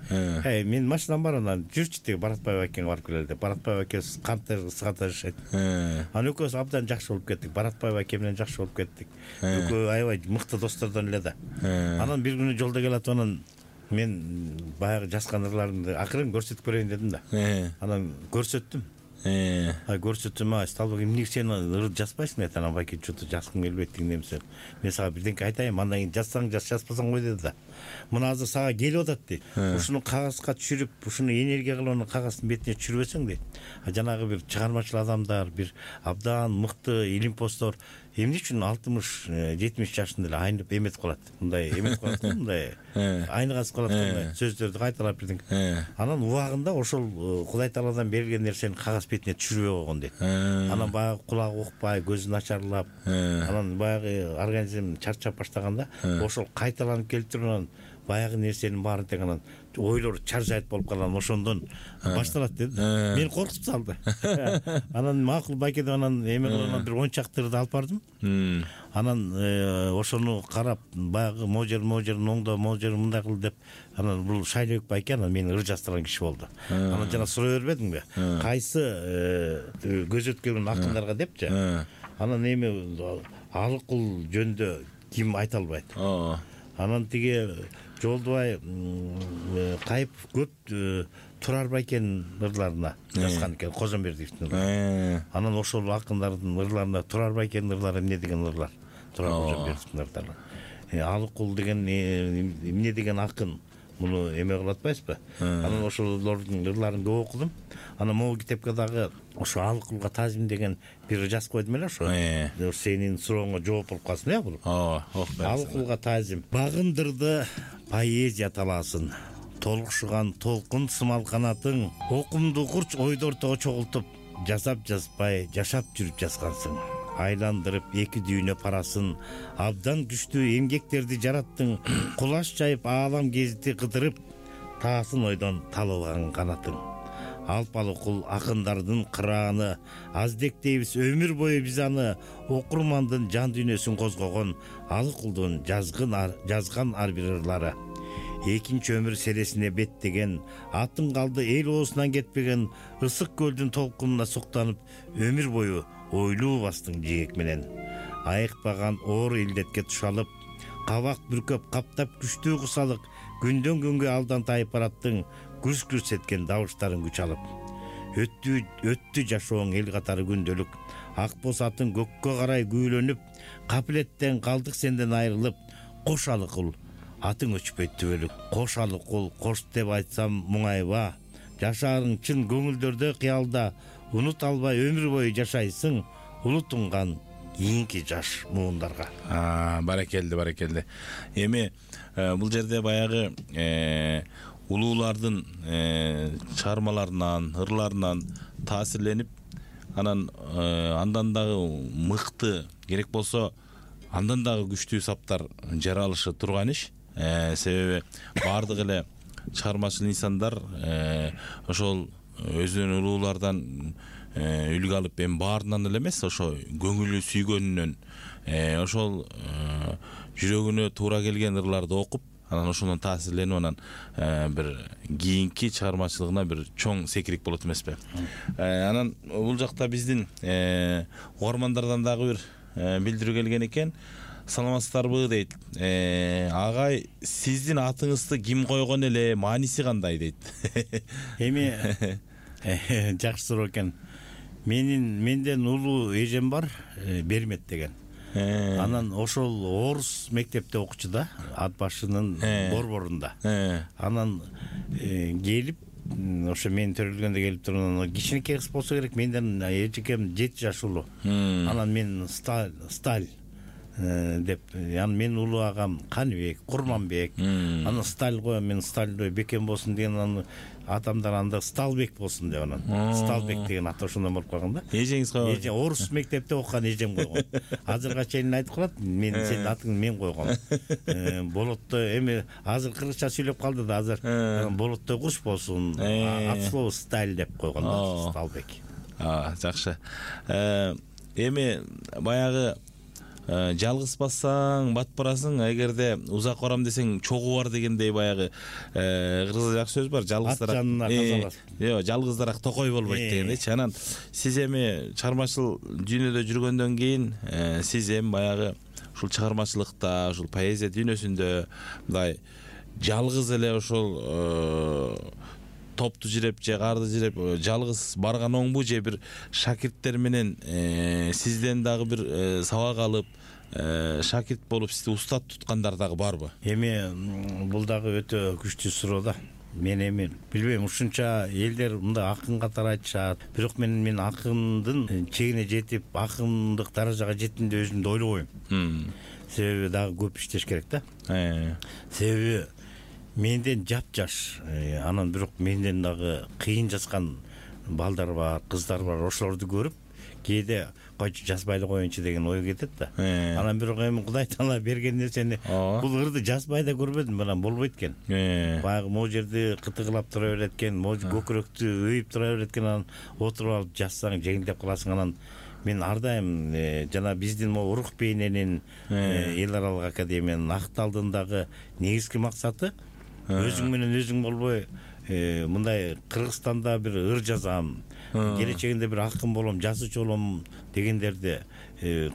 Эй, мен машинам бар, анан жүрчү тиги Баратбай байкеге барып келели деп. Баратбай байке канттар сыгата жашайт. Анан экөөбүз абдан жакшы болуп кеттик. Баратбай байке менен жакшы болуп кеттик. Экөө аябай мыкты достордон эле да. Анан бир күнү жолдо келатып анан мен баягы жазган ырларымды акырын көрсөтүп көрөйүн дедим да. Анан көрсөттүм. ай көрсөтсөм ай Сталбек эмне сен ыр жазбайсың дейт. Анан байке что-то жазгым келбейт деген эмсе. Мен сага бирденке айтайын, андан кийин жазсаң жаз, жазбасаң кой деди да. Мына азыр сага келип атат дейт. Ушуну кагазга түшүрүп, ушуну энергия кылып анан кагаздын бетине түшүрбөсөң дейт. А жанагы бир чыгармачыл адамдар, бир абдан мыкты илимпоздор эмне үчүн алтымыш жетимиш жашында эле айнып эметип калат. Мындай эметип калат, мындай айныгасып калат, мындай сөздөрдү кайталап бирдеңке. Анан убагында ошол Кудай Тааладан берилген нерсени кагаз бетине түшүрбөй койгон дейт. Анан баягы кулагы укпай, көзү начарлап, анан баягы организм чарчап баштаганда ошол кайталанып келип туруп анан баягы нерсенин баарын тең анан ойлор чаржайт болуп калган, ошондон башталат деди. Мени коркутуп салды. Анан макул байке деп анан эме кылып бир он чактырды алып бардым. Анан ошону карап баягы можер можер оңдо можер мындай кыл деп анан бул Шайлебек байке анан мени ыр жаздырган киши болду. Анан жана сурай бербедиңби? Кайсы көз өткөргөн акындарга депчи. Анан эми Алыкул жөнүндө ким айта албайт. Анан тиги Жолдубай Кайыпов көп Турар байкенин ырларына жазган экен, Козомбердиевдин ырлары. Анан ошол акындардын ырларында Турар байкенин ырлары эмне деген ырлар? Турар Козомбердиевдин ырлары. Алыкул деген эмне деген акын? Муну эме кылып атпайсызбы? Анан ошолордун ырларын көп окудум. Анан могу китепке дагы ошо Алыкулга тазим деген бир жазып койдум эле ошо. Сенин сурооңо жооп болуп калсын, э бул. Ооба, окуп. Алыкулга тазим. Багындырды поэзия талаасын. Толкушуган толкун сымал канатың, окумду курч ойду ортого чогултуп, жасап жазбай, жашап жүрүп жазгансың. Айландырып эки дүйнө парасын, абдан күчтүү эмгектерди жараттың, кулаш жайып аалам кезити кыдырып, таасын ойдон талыбаган канатың. Алпалыкул акындардын кырааны, аздектейбиз өмүр бою биз аны, окурмандын жан дүйнөсүн козгогон Алыкулдун жазгын жазган ар бир ырлары. Экинчи өмүр селесине беттеген, атын калды эл оосунан кетпеген, ысык көлдүн толкунуна суктанып, өмүр бою ойлуу бастың жээк менен. Айыкпаган оор илдетке тушалып, кабак бүркөп каптап күчтүү кусалык, күндөн күнгө алдан тайып бараттың, күрс-күрс эткен дабыштарын күч алып. Өттү өттү жашооң эл катары күндөлүк, ак боз атын көккө карай күүлөнүп, капилеттен калдык сенден айрылып, кош Алыкул атың өчпөйт түбөлүк. Кош Алыкул кош деп айтсам муңайба, жашаарың чын көңүлдөрдө кыялда, унут албай өмүр бою жашайсың, улутунган кийинки жаш муундарга. Баракелди, баракелди. Эми бул жерде баягы улуулардын чыгармаларынан, ырларынан таасирленип, анан андан дагы мыкты, керек болсо андан дагы күчтүү саптар жаралышы турган иш. Себеби баардык эле чыгармачыл инсандар ошол өзүнүн улуулардан үлгү алып, эми баарынан эле эмес, ошо көңүлү сүйгөнүнөн, ошол жүрөгүнө туура келген ырларды окуп, анан ошондон таасирленип, анан бир кийинки чыгармачылыгына бир чоң секирик болот эмеспи? Анан бул жакта биздин угармандардан дагы бир билдирүү келген экен. Саламатсыздарбы дейт. Агай, сиздин атыңызды ким койгон эле, мааниси кандай дейт. Эми жакшы суроо экен. Менин менден улуу эжем бар, Бермет деген. Анан ошол орус мектепте окучу да, ат башынын борборунда. Анан келип, ошо мен төрөлгөндө келип туруп, кичинекей кыз болсо керек, менден эжекем жети жаш улуу. Анан мен Сталь деп, анан менин улуу агам Каныбек, Курманбек. Анан Сталь коем, мен Стальдой бекем болсун деген, анан атамдар анда Сталбек болсун деп, анан Сталбек деген аты ошондон болуп калган да. Эжеңиз койгон? Эже орус мектепте окуган эжем койгон. Азырга чейин айтып калат, мен сенин атыңды мен койгом. Болотто эми азыр кыргызча сүйлөп калды да, азыр болоттой куш болсун, ат слово Сталь деп койгон да, Сталбек. Жакшы. Эми баягы жалгыз бассаң бат барасың, эгерде узак барам десең чогуу бар дегендей баягы кыргызда жакшы сөз бар, жалгыздар ат жанына казалас. Жок, жалгыздарак токой болбойт дегендейчи. Анан сиз эми чыгармачыл дүйнөдө жүргөндөн кийин сиз эми баягы ушул чыгармачылыкта, ушул поэзия дүйнөсүндө мындай жалгыз эле ошол топту жиреп же карды жиреп жалгыз барган оңбу, же бир шакирттер менен сизден дагы бир сабак алып шакирт болуп сизди устат туткандар дагы барбы? Эми бул дагы өтө күчтүү суроо да. Мен эми билбейм, ушунча элдер мындай акын катары айтышат. Бирок мен мен акындын чегине жетип, акындык даражага жеттим деп өзүмдү ойлобойм. Себеби дагы көп иштеш керек да. Себеби менден жапжаш, анан бирок менден дагы кыйын жазган балдар бар, кыздар бар. Ошолорду көрүп, кээде койчу жазбай эле коеюнчу деген ой кетет да. Анан бирок эми Кудай Таала берген нерсени бул ырды жазбай да көрбөдүм, анан болбойт экен. Баягы могу жерди кытыгылап тура берет экен, могу көкүрөктү өйүп тура берет экен, анан отуруп алып жазсаң жеңилдеп каласың. Анан мен ар дайым жана биздин могу Урук бейненин эл аралык академиянын акталдындагы негизги максаты өзүң менен өзүң болбой мындай Кыргызстанда бир ыр жазам, келечегинде бир акын болом, жазуучу болом дегендерди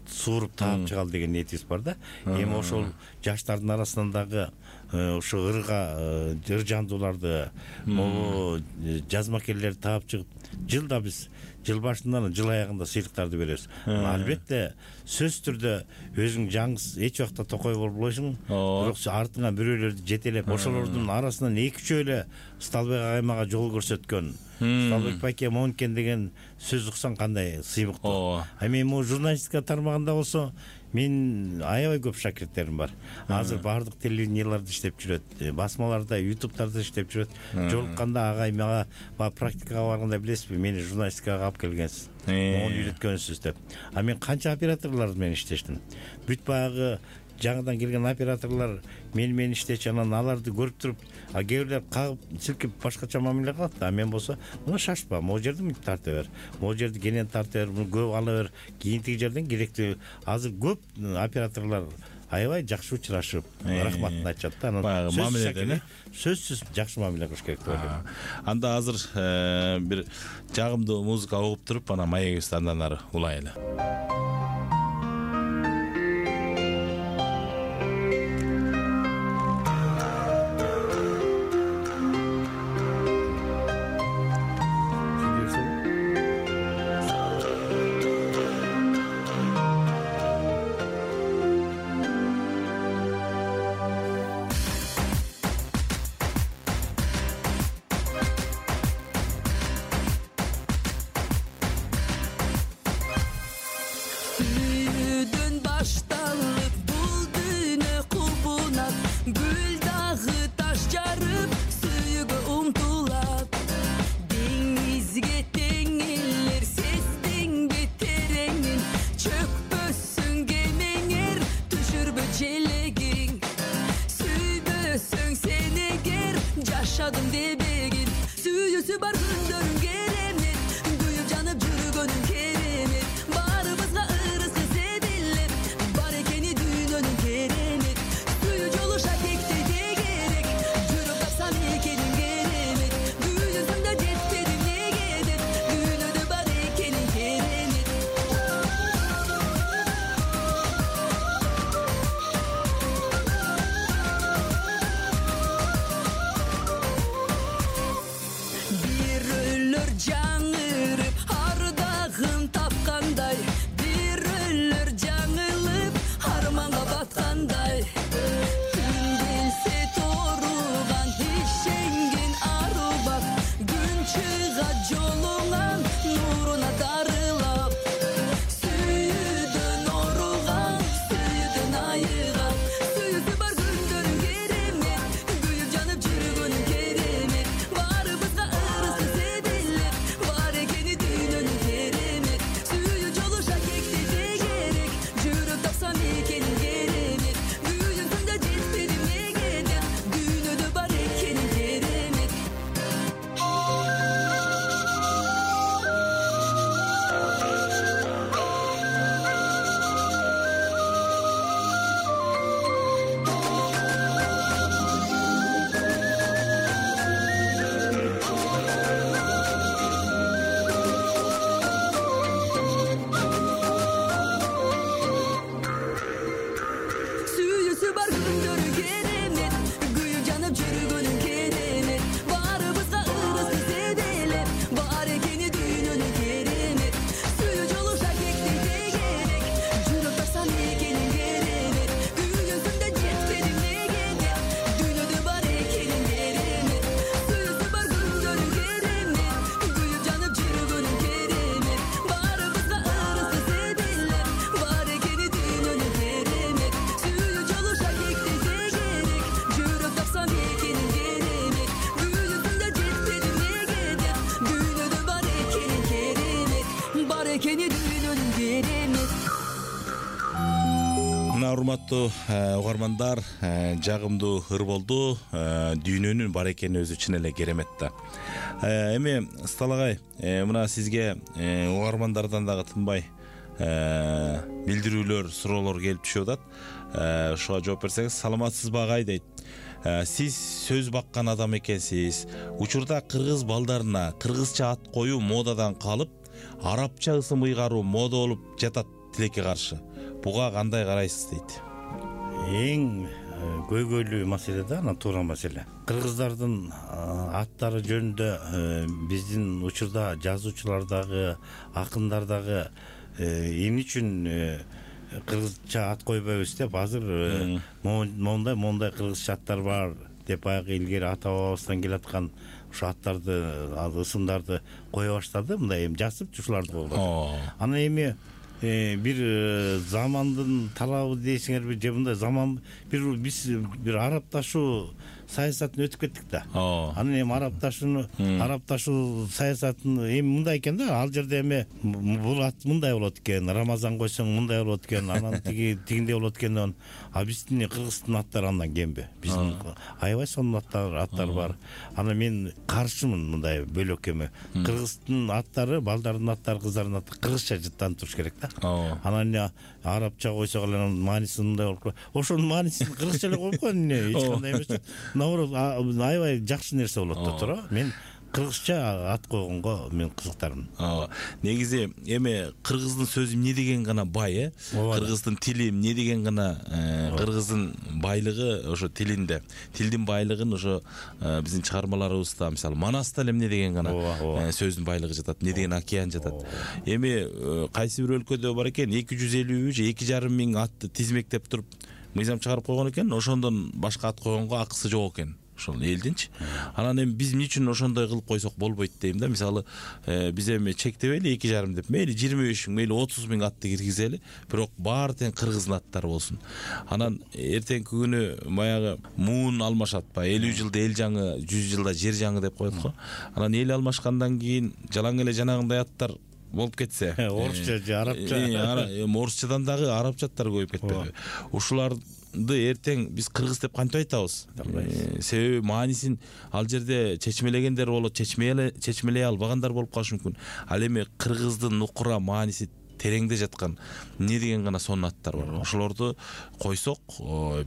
сууруп таап чыгалы деген ниетибиз бар да. Эми ошол жаштардын арасынан дагы ошо ырга ыр жандууларды, могу жазмакерлерди таап чыгып, жылда биз жыл башынан жыл аягында сыйлыктарды беребиз. Албетте сөзсүз түрдө өзүң жаңы эч убакта токой болбойсуң, бирок артыңа бирөөлөрдү жетелеп, ошолордун арасынан эки үчөө эле Сталбек агаймага жол көрсөткөн, Сталбек байке монкен деген сөз уксаң кандай сыймыктуу. А мен могу журналистика тармагында болсо мен аябай көп шакирттерим бар. Азыр баардык телевиденияларда иштеп жүрөт, басмаларда, ютубтарда иштеп жүрөт. Жолукканда агай мага практикага барганда билесизби, мени журналистикага алып келгенсиз, мону үйрөткөнсүз деп. А мен канча операторлор менен иштештим. Бүт баягы жаңыдан келген операторлор мен менен иштечи, анан аларды көрүп туруп, а кээ бирлер кагып силкип башкача мамиле кылат. А мен болсо мына шашпа, могу жерди мынтип тарта бер, могу жерди кенен тарта бер, муну көп ала бер, кийинтиги жерден керектүү. Азыр көп операторлор аябай жакшы учурашып, рахматын айтышат да. Анан мамиледен сөзсүз жакшы мамиле кылыш керек деп ойлойм. Анда азыр бир жагымдуу музыка угуп туруп, анан маегибизди андан ары улайлы. Kereme, düğünü de bar ekeni kereme. урматтуу угармандар, жагымдуу ыр болду. Дүйнөнүн бар экени өзү чын эле керемет да. Эми Сталагай, мына сизге угармандардан дагы тынбай билдирүүлөр, суроолор келип түшүп атат. Ошого жооп берсеңиз. Саламатсызбы агай дейт. Сиз сөз баккан адам экенсиз. Учурда кыргыз балдарына кыргызча ат коюу модадан калып, арабча ысым ыйгаруу мода болуп жатат тилекке каршы. Буга кандай карайсыз дейт. Эң көйгөйлүү маселе да, ана туура маселе. Кыргыздардын аттары жөнүндө биздин учурда жазуучулардагы, акындардагы эмне үчүн кыргызча ат койбойбуз деп азыр мондай мондай кыргызча аттар бар деп баягы илгери ата бабабыздан келаткан ошо аттарды, ысымдарды кое баштады. Мындай эми жасып ушуларды колдоду. Анан эми бир замандын талабы дейсиңерби же мындай заман бир биз бир арапташуу саясатын өтүп кеттик да. Анан эми арапташууну арапташуу саясатын эми мындай экен да, ал жерде эми бул ат мындай болот экен, Рамазан койсоң мындай болот экен, анан тиги тигиндей болот экен. А биздин кыргыздын аттары андан кемби? Биздин аябай сонун аттар аттар бар. Анан мен каршымын мындай бөлөккөмө. Кыргыздын аттары, балдардын аттары, кыздардын аттары кыргызча жыттанып туруш керек да. Анан арабча койсок эле анын мааниси мындай болуп, ошонун маанисин кыргызча эле коюп койгон эмне, эч кандай эмес. Наоборот, аябай жакшы нерсе болот да туура. Мен кыргызча ат койгонго мен кызыктармын. Негизи эми кыргыздын сөзү эмне деген гана бай, э? Кыргыздын тили эмне деген гана, кыргыздын байлыгы ошо тилинде. Тилдин байлыгын ошо биздин чыгармаларыбызда, мисалы, Манаста эле эмне деген гана сөздүн байлыгы жатат, эмне деген океан жатат. Эми кайсы бир өлкөдө бар экен, эки жүз элүү же эки жарым миң атты тизмектеп туруп мыйзам чыгарып койгон экен. Ошондон башка ат койгонго акысы жок экен. Ошол элдинчи. Анан эми биз эмне үчүн ошондой кылып койсок болбойт дейм да. Мисалы, биз эми чектебейли эки жарым деп. Мейли жыйырма беш миң, мейли отуз миң атты киргизели, бирок баары тең кыргыздын аттары болсун. Анан эртеңки күнү баягы муун алмашат ба, элүү жылда эл жаңы, жүз жылда жер жаңы деп коет го. Анан эл алмашкандан кийин жалаң эле жанагындай аттар болуп кетсе, орусча же арабча, орусчадан дагы арабча аттар көбөйүп кетпеби? Ушуларды эртең биз кыргыз деп кантип айтабыз? Себеби маанисин ал жерде чечмелегендер болот, чечмелей албагандар болуп калышы мүмкүн. Ал эми кыргыздын нукура мааниси тереңде жаткан эмне деген гана сонун аттар бар. Ошолорду койсок,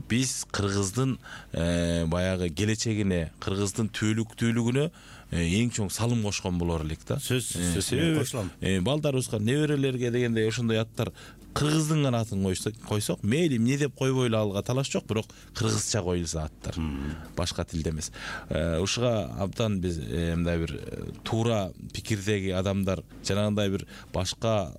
биз кыргыздын баягы келечегине, кыргыздын түбөлүктүүлүгүнө эң чоң салым кошкон болор элек да. Сөзсүз кошулам. Балдарыбызга, неберелерге дегендей ошондой аттар кыргыздын гана атын койсок, мейли эмне деп койбойлу, алга талаш жок, бирок кыргызча коюлса аттар, башка тилде эмес. Ушуга абдан биз мындай бир туура пикирдеги адамдар, жанагындай бир башка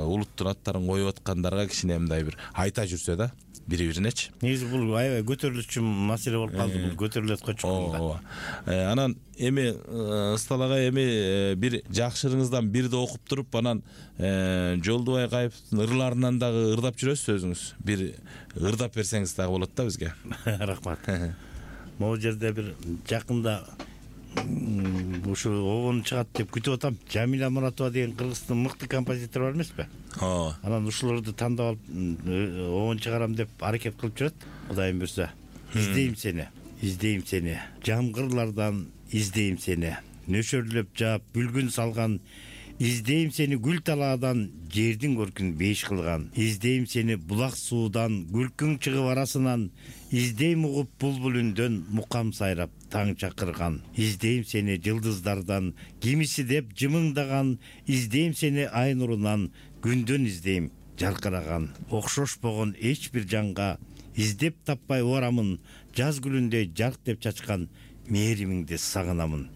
улуттун аттарын коюп аткандарга кичине мындай бир айта жүрсө да, бири-биринечи. Негизи бул аябай көтөрүлүчү маселе болуп калды, бул көтөрүлөт кочкон. Анан эми Сталагай эми бир жакшырыңыздан бирди окуп туруп, анан Жолдубай Кайыповдун ырларынан дагы ырдап жүрөсүз өзүңүз. Бир ырдап берсеңиз дагы болот да бизге. Рахмат. Могу жерде бир жакында ушу обон чыгат деп күтүп атам. Жамиля Муратова деген кыргыздын мыкты композитор бар эмеспи? Анан ушуларды тандап алып обон чыгарам деп аракет кылып жүрөт. Кудайым буйрса. Издейм сени, издейм сени. Жамгырлардан издейм сени. Нөшөрлөп жаап бүлгүн салган. Издейм сени гүл талаадан, жердин көркүн беш кылган. Издейм сени булак суудан, күлкүң чыгып арасынан. Издейм угуп булбул үндөн, мукам сайрап таң чакырган. Издейм сени жылдыздардан, кимиси деп жымыңдаган. Издейм сени ай нурунан, күндөн издейм жаркыраган. Окшошпогон эч бир жанга, издеп таппай орамын. Жаз гүлүндөй жарк деп чачкан, мээримиңди сагынамын.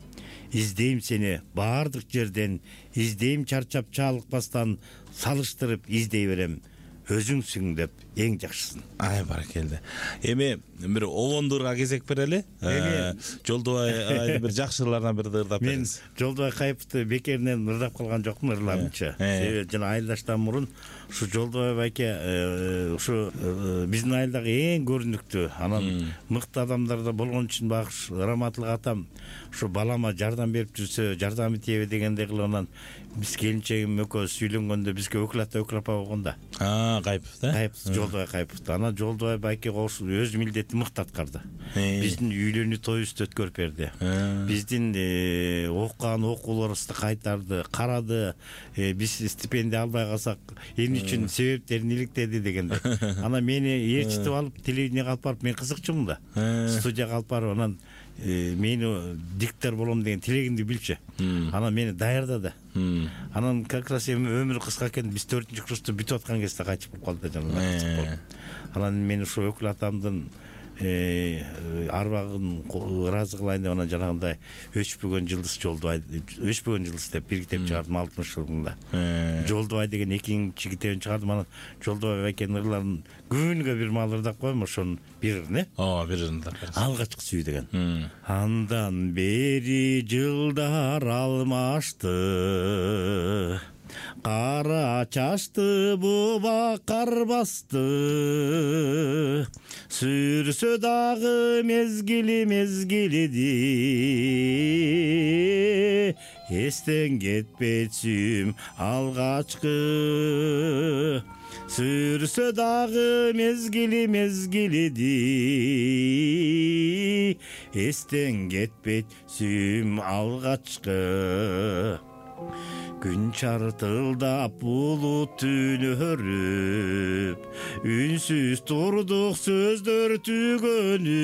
Издейм сени баардык жерден, издейм чарчап чалыкпастан, салыштырып издей берем. Өзүңсүң деп эң жакшысын. Ай баракелде. Эми бир обондурга кезек берели. Жолдубай агайды бир жакшы ырларынан бирди ырдап бериңиз. Мен Жолдубай Кайыповду бекеринен ырдап калган жокмун ырларынчы. Себеби жана айылдаштан мурун ушу Жолдубай байке ушу биздин айылдагы эң көрүнүктүү, анан мыкты адамдарда болгон үчүн багыш Раматылык атам ушу балама жардам берип жүрсө, жардамы тийеби дегендей кылып анан биз келинчегим экөөбүз үйлөнгөндө бизге өкүл ата өкүл апа болгон да. А, Кайыпов да? Кайыпов, Жолдубай Кайыпов. Анан Жолдубай байке кошуп өз милдетин мыкты аткарды. Биздин үйлөнүү тоюбузду өткөрүп берди. Биздин окуган окууларыбызды кайтарды, карады. Биз стипендия албай калсак эмне үчүн себептерин иликтеди дегенде. Анан мени ээрчитип алып телевиденияга алып барып, мен кызыкчумун да. Студияга алып барып анан мени диктор болом деген тилегимди билчү. Анан мени даярдады. Анан как раз эми өмүрү кыска экен, биз төртүнчү курсту бүтүп аткан кезде кайтып калып калды жана. Анан мен ушу өкүл атамдын арбагын ыраазы кылайын деп анан жанагындай өчпөгөн жылдыз Жолдубай, өчпөгөн жылдыз деп бир китеп чыгардым алтымыш жылында. Жолдубай деген экинчи китебин чыгардым. Анан Жолдубай байкенин ырларын күнүгө бир маал ырдап коем, ошонун бир ырын, э? Ооба, бир ырын ырдап бериңиз. Алгачкы сүй деген. Андан бери жылдар алмашты, кара чачты буба кар басты, сүрсө дагы мезгили мезгилиди, эстен кетпейт сүйүм алгачкы, сүрсө дагы мезгили мезгилиди, эстен кетпейт сүйүм алгачкы. Күн чартылдап булут түнөрүп, үнсүз турдук сөздөр түгөнүп,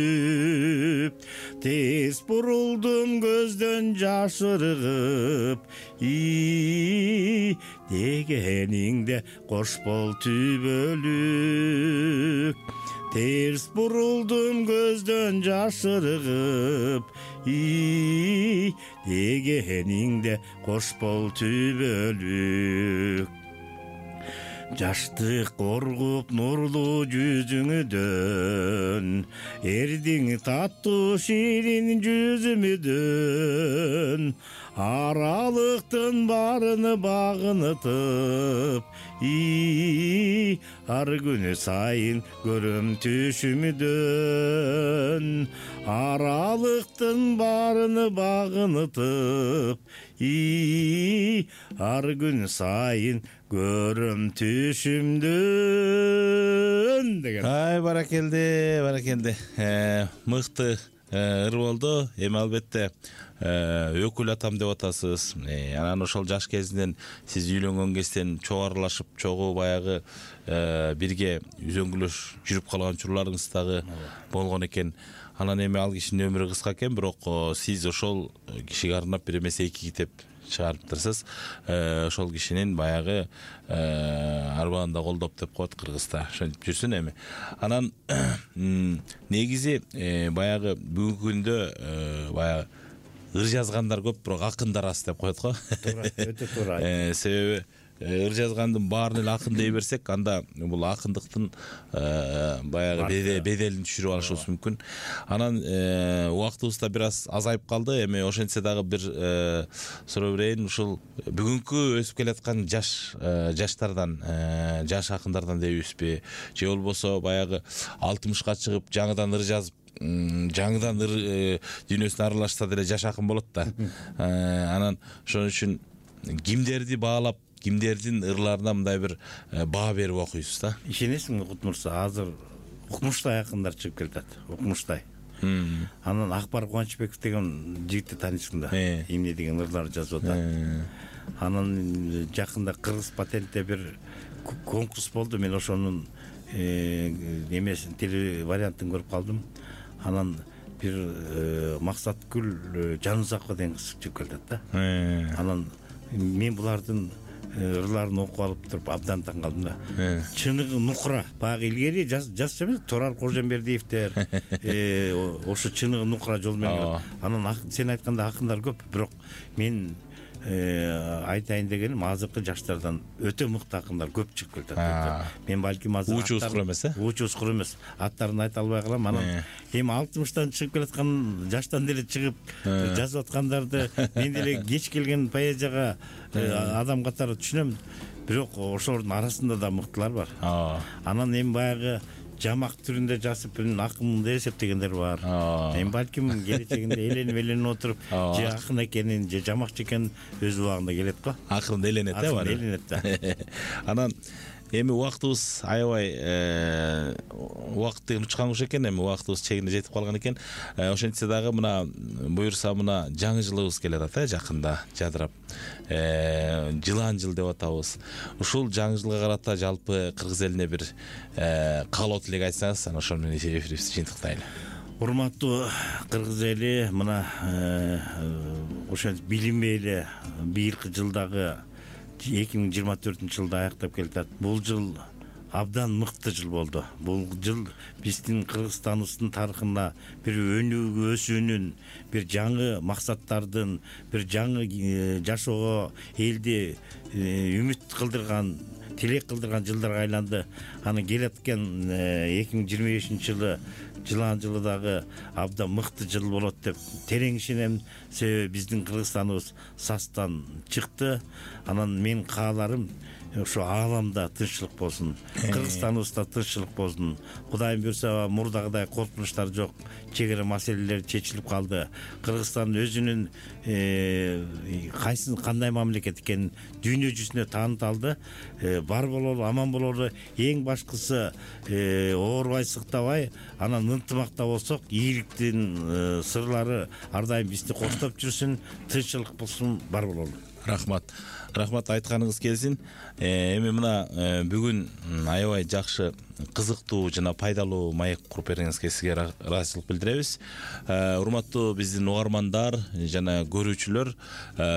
тез бурулдум көздөн жаш ыргып, и дегениңде кош бол түбөлүк. Терс бурулдум көздөн жаш ыргып, и дегениңде кош бол түбөлүк. Жаштык коргуп нурлуу жүзүңдөн, эрдиң таттуу ширин жүзүмдөн, аралыктын баарыны багынытып, и ар күнү сайын көрөм түшүмдөн, аралыктын баарыны багынытып, и ар күн сайын көрөм түшүмдөн деген. Ай, баракелде, баракелде. Мыкты ыр болду. Эми албетте өкүл атам деп атасыз. Анан ошол жаш кезинен сиз үйлөнгөн кезден чогуу аралашып, чогуу баягы бирге үзөңгүлөш жүрүп калган учурларыңыз дагы болгон экен. Анан эми ал кишинин өмүрү кыска экен, бирок сиз ошол кишиге арнап бир эмес эки китеп чыгарыптырсыз. Ошол кишинин баягы арбагында колдоп деп коет кыргызда. Ошентип жүрсүн эми. Анан негизи баягы бүгүнкү күндө баягы ыр жазгандар көп, бирок акындар аз деп коет го. Туура, өтө туура. Себеби ыр жазгандын баарын эле акын дей берсек, анда бул акындыктын баягы беделин түшүрүп алышыбыз мүмкүн. Анан убактыбыз да бир аз азайып калды. Эми ошентсе дагы бир суроо берейин. Ушул бүгүнкү өсүп келаткан жаш жаштардан, жаш акындардан дейбизби, же болбосо баягы алтымышка чыгып жаңыдан ыр жазып, жаңыдан ыр дүйнөсүнө аралашса деле жаш акын болот да. Анан ошон үчүн кимдерди баалап, кимдердин ырларына мындай бир баа берип окуйсуз да? Ишенесиңби Кут Мырза, азыр Укмуштай акындар чыгып келатат. Укмуштай. Анан Акбар Кубанычбеков деген жигитти тааныйсың да. Эмне деген ырлар жазып атат. Анан жакында Кыргыз патентте бир конкурс болду. Мен ошонун эмесин, теле вариантын көрүп калдым. Анан бир Максаткүл Жанузакова деген кыз чыгып келатат да. Анан мен булардын ырларын окуп алып туруп абдан таң калдым да. Чыныгы нукура. Баягы илгери жазчу эмес, Турар Кожомбердиевдер, ошо чыныгы нукура жол менен. Анан сен айткандай акындар көп, бирок мен айтайын дегеним азыркы жаштардан өтө мыкты акындар көп чыгып келатат. Мен балким азыр учу ускур эмес э учу ускур эмес аттарын айта албай калам. Анан эми алтымыштан чыгып келаткан жаштан деле чыгып жазып аткандарды мен деле кеч келген поэзияга адам катары түшүнөм, бирок ошолордун арасында да мыктылар бар. Анан эми баягы жамак түрүндө жазып мен акын деп эсептегендер бар. Эми балким келечегинде эленип эленип отуруп же акын экенин же жамакчы экенин өз убагында келет го. Акырында эленет э бар. Эленет да. Анан эми убактыбыз аябай убакыт деген учкан куш экен, эми убактыбыз чегине жетип калган экен. Ошентсе дагы мына буюрса мына жаңы жылыбыз келе атат э жакында жадырап. Жылан жыл деп атабыз. Ушул жаңы жылга карата жалпы кыргыз элине бир каалоо тилек айтсаңыз, анан ошол менен эфирибизди жыйынтыктайлы. Урматтуу кыргыз эли, мына ошо билинбей эле быйылкы жылдагы эки миң жыйырма төртүнчү жылды аяктап келатат. Бул жыл абдан мыкты жыл болду. Бул жыл биздин Кыргызстаныбыздын тарыхында бир өнүгүү өсүүнүн, бир жаңы максаттардын, бир жаңы жашоого элди үмүт кылдырган, тилек кылдырган жылдарга айланды. Аны келаткан эки миң жыйырма бешинчи жылы жылан жылы дагы абдан мыкты жыл болот деп терең ишенем. Себеби биздин Кыргызстаныбыз састан чыкты. Анан мен кааларым ошо ааламда тынччылык болсун, Кыргызстаныбызда тынччылык болсун. Кудайым буйрса мурдагыдай коркунучтар жок, чек ара маселелер чечилип калды. Кыргызстан өзүнүн кайсы кандай мамлекет экенин дүйнө жүзүнө тааныта алды. Бар бололу, аман бололу, эң башкысы оорубай, сыктабай, анан ынтымакта болсок, ийгиликтин сырлары ар дайым бизди коштоп жүрсүн, тынччылык болсун, бар бололу. Рахмат. Рахмат, айтканыңыз келсин. Эми мына бүгүн аябай жакшы, кызыктуу жана пайдалуу маек куруп бергениңизге сизге ыраазычылык билдиребиз. Урматтуу биздин угармандар жана көрүүчүлөр,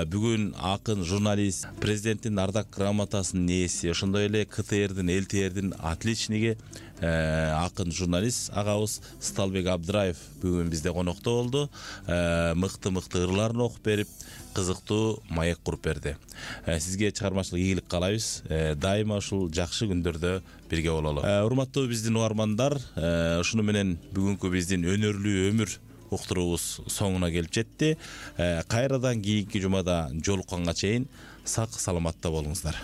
бүгүн акын, журналист, президенттин ардак грамотасынын ээси, ошондой эле КТРдин, ЛТРдин отличниги, акын, журналист агабыз Сталбек Абдыраев бүгүн бизде конокто болду. Мыкты-мыкты ырларын окуп берип, кызыктуу маек куруп берди. Сизге чыгармачылык ийгилик каалайбыз. Дайыма ушул жакшы күндөрдө бирге бололу. Урматтуу биздин угармандар, ушуну менен бүгүнкү биздин өнөрлүү өмүр уктуруубуз соңуна келип жетти. Кайрадан кийинки жумада жолукканга чейин сак саламатта болуңуздар.